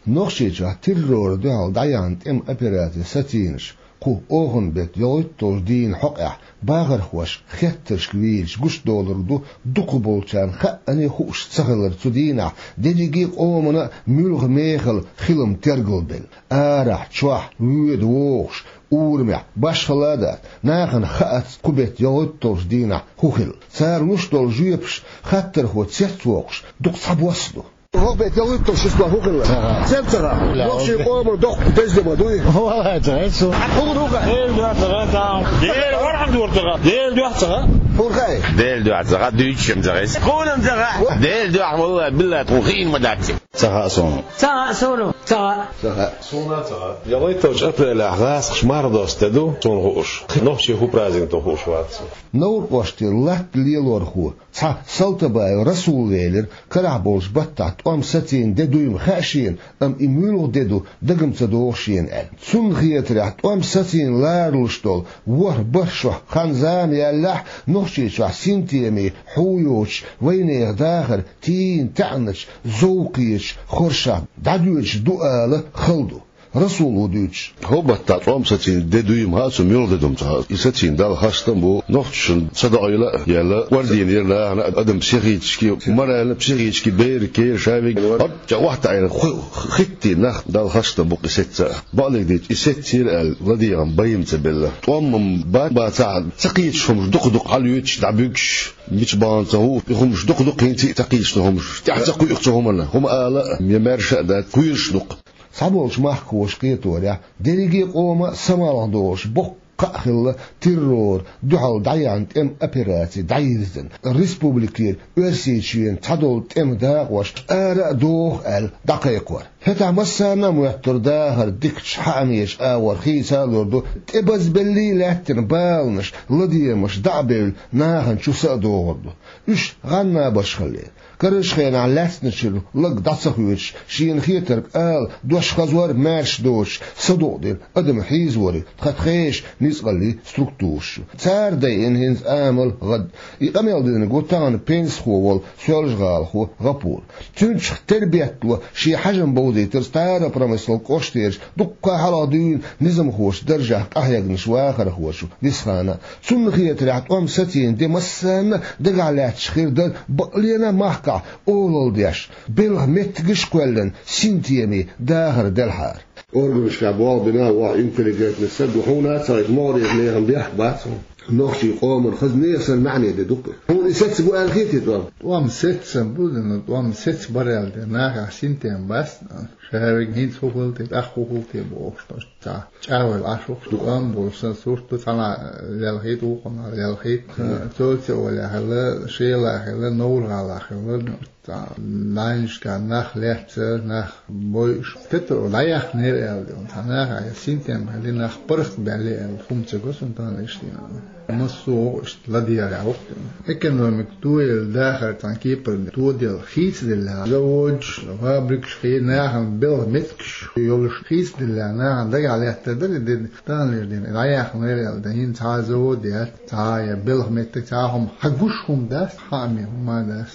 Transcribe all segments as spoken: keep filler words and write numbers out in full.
Нохчийчохь террора дуьхьал дӀаяхьна тӀеман операци сацийнаш кху оханан беттан ялхитталгӀачу дийнан хьокъехь бахархоша хеттаршка вийча гучудолург ду дукхахболчарна хаа а хууш ца хилар. Цу дийнахь дерриге а къомана а муьлха мехала хилам тергалбелла. Арахь, чохь, воьду-вогӀуш, урамехь, башхалла а дац, нахана хаац кху беттан ялхитталгӀачу дийнахь хӀун хилла. Цара луш долу жоьпаш хаттархо цецвоккхуш дукха цхьабосса ду. ХӀокху беттан ялхитталгӀачу числохь хӀун хилла? Ца хаьа. Цец ца хаьа. Нохчийн къоман доккха деза де ма дуй? Валлай, ца хаьа суна. Хьан хӀун ду хаьа? Делан дуьхьа ца хаьа. Делан дуьхьа ца хаьа. Хьуна хаьа? Делан дуьхьа ца хаьа, дуьйцуш-м ца хаьа. Хьуна-м ца хаьа. Делан дуьхьа, валлай, биллай, тхуна хиъна ма дац. Ца хаьа суна. Ца хаьа суна. Ца хаьа. Ца хаьа. Суна ца хаьа. ЯлхитталгӀачу апрелехь гӀазкхаша марха досту де ду, суна хууш. Нохчийн хӀун праздник ду хууш вац суна. Новр-кӀоштера латта лелорхо, цхьа Салтабаев Расул велира, карахь болчу баттахь тӀом сацийна де дуй-м хаьа шена, амма и муьлха де ду дага-м ца догӀу шена аьлла. Цунна хетарехь, тӀом сацийна ларалуш долу ворхӀ-бархӀ шо хан-зама яьллехь, Нохчийчохь синтемийн хьу йоцуш, вайнехан дахар тийна таьӀначу, зовкхечу хоршахь дӀадоьдуш ду ала хала ду. Расул ву дуьйцуш. ХӀокху баттахь тӀом сацийна де дуй-м хаьа суна, муьлха де ду-м ца хаьа. И сацийна Далла хастам бу, нохчашна садоӀийла а елла, орденера нахана а, адам психически, морально, психически берриг кхера шавиг, хӀорд чӀа охьатаӀийна, ху-, хиттийна нах, Далла хастам бу-кх и сецца а. Бакъдерг дийцича, и сецира аьлла, ладегӀан бай-м ца белла. ТӀом-м бац, бацахь а, ца кхеташ хӀумнаш дукха-дукха хьалаюьйтуш, дӀабуьгуш, мича бахана ца хууш, и хӀумнаш дукха-дукха хӀинца а ца кхеташ ду хӀумнаш. ТӀаьхьа ца кхуьу цу хӀуманна, хӀума ала а, я маьрша а дац, кхоьруш ду-кх. Цхьаболчу махкахоша кхеторехь, дерриге а къоман а самалха долуш боккха а хилла террора дуьхьал дӀаяьхьна тӀеман операци дӀайирзина, республикера Оьрсийчоьнан цхьадолу тӀеман дакъош ара а доху аьлла дӀакхайкхор. ХӀетахь массарна а моьттура дахар дикачу хьаамечу агӀор хийца а лур ду, тӀебазбеллий а лаьттина баланаш, ладегӀамаш дӀа а бевлла, нахана чу са а догӀур ду. Уьш гӀан-набарш хиллера. Карарчу хенахь лаьцначуьра лаг дӀа ца хоьцуш, шена хетарг ала, дош хазор а маьрша доцуш, садукъдина адам хьийзориг тхан тхешан ницкъаллийн структураш ю. Цара дайина хӀинца амал гӀад. И къамел динарг ву тахана пенсихо волу соьлжа-гӀалахо ГӀапур. Цуьнчух тера беттало шен хьажам бовзийтира Старопромысловски кӀоштерчу дуккха а хьалха дуьйна низамхочу даржехь къахьегначу вахархочо Висхана. Цунна хетарехь, тӀом сацийна де массарна а дагахь лаьтташ хир дара, бакъ лена а махкахь олалла деш, белхан меттигаш а кхоьллина, синтемийн дахар делхьара. Органашкахь болх бина а ву хьо интеллигентный стаг, хьуна а ца хаьа, могӀарерчу нехан бехк бац хьуна. Нохчийн къоман хаза нехан санна маьӀне де ду-кх. Хьуна и сецна бу аьлла хетий тӀом? ТӀом сецна бу, но тӀом сецна бара аьлла де, нахехь синтем бац, шаверг хӀинца хӀун хилла те, тӀаккха хӀун хилла те бохуш, цхьа чӀагӀвелла Ӏаш ву-кх, тӀом болуш санна сурт ду, цхьана лелхийта, вукхунна лелхийта, цо ца олехь хилла, Шелахь хилла, Новр-гӀалахь хилла, цхьа нанашкахь нах лаьцна, нах бойуш, кхетар дӀаяьхнера аьлла де, цхьа наха синтем хилла, нах паргӀатбаьлла аьлла, хӀума ца го суна тахана иштта. Массо а ву иштта ладегӀарехь ву-кх. Экономика тоелла, дахар цхьана кепара тоделла, хийцаделла, заводаш, фабрикаш хи, нахана белхан меттигаш йолуш хийцаделла, нахана дагахь лаьттар дара и де, таханлера дийнахь дӀаяьхнера аьлла, дан хӀинца цхьа а завод яц, цхьа а я белхан меттиг, цхьа а хӀума, хьан гуш хӀума дац, хьаамийн хӀума а дац.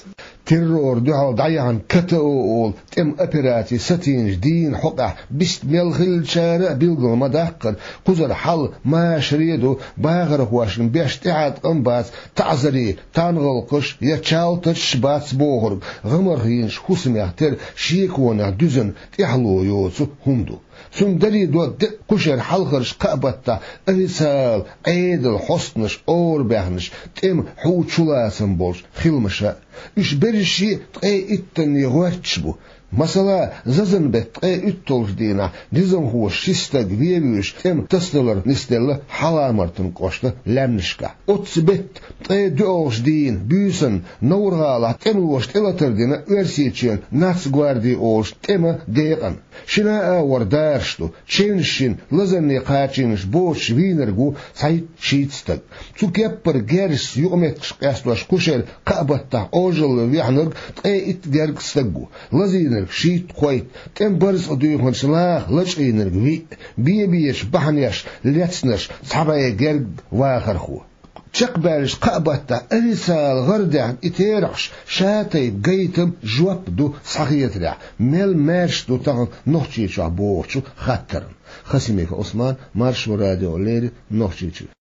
Террора дуьхьал дӀаяьхьна КТО олу тӀеман операци сацийначу дийнан хьокъехь бист мел хиллачара а билггал ма-даккхара, кхузара хьал машаре а ду, бахархошна беш тӀехьаткъам а бац, таӀзарийн тангӀалкхаш я чалтачаш а бац бохург, гӀамарх йинчу хӀусамех тера шеконех дуьзна тӀаьхьало йоцу хӀума ду. Цунна даре до декъа кхушара хьалхарчу кхаа баттахь официалан Ӏедалан хьостанаша арабаьхначу тӀеман хьу чулацам болчу хиламаша. Уьш берриш а ткъе иттанне гӀоьрташ бу. Масала, зазан беттан ткъе уьтталгӀачу дийнахь низамхоша ши стаг вен вуьйш тӀеман тасадалар нисделла Хьаламартан кӀоштан лаьмнашкахь. Оццу беттан ткъе доьалгӀачу дийнан буьйсанна Новр-гӀалахь тӀемалоша тӀелатар дина Оьрсийчоьнан Нацгварди олучу тӀеман декъана. Шина а агӀор дараш ду, чевнаш йина, лазарне кхачийнарш боцуш вийнарг ву цхьайтта-шийтта стаг. Цу кеппара герзаца юкъаметтигаш къестош кхушара кхаа баттахь Ӏожалла вехнарг ткъе итт гергга стаг ву, лазийнарг шийтта-кхойтта, тӀеман барзкъа дуьйхначу наха лачкъийнарг виъ, бен-бечу бахьанех лецнарш цхьа бӀе гергга вахархо. Чакхбаьлча кхаа баттахь официалан гӀарадаьхна и терахьаш ша тайпа гайтам, жоп ду схьахетарехь, мел маьрша ду тахана Нохчийчохь бохучу хаттарна. Хасимиков Ӏусман, Маршо радиона леррина, Нохчийчуьра.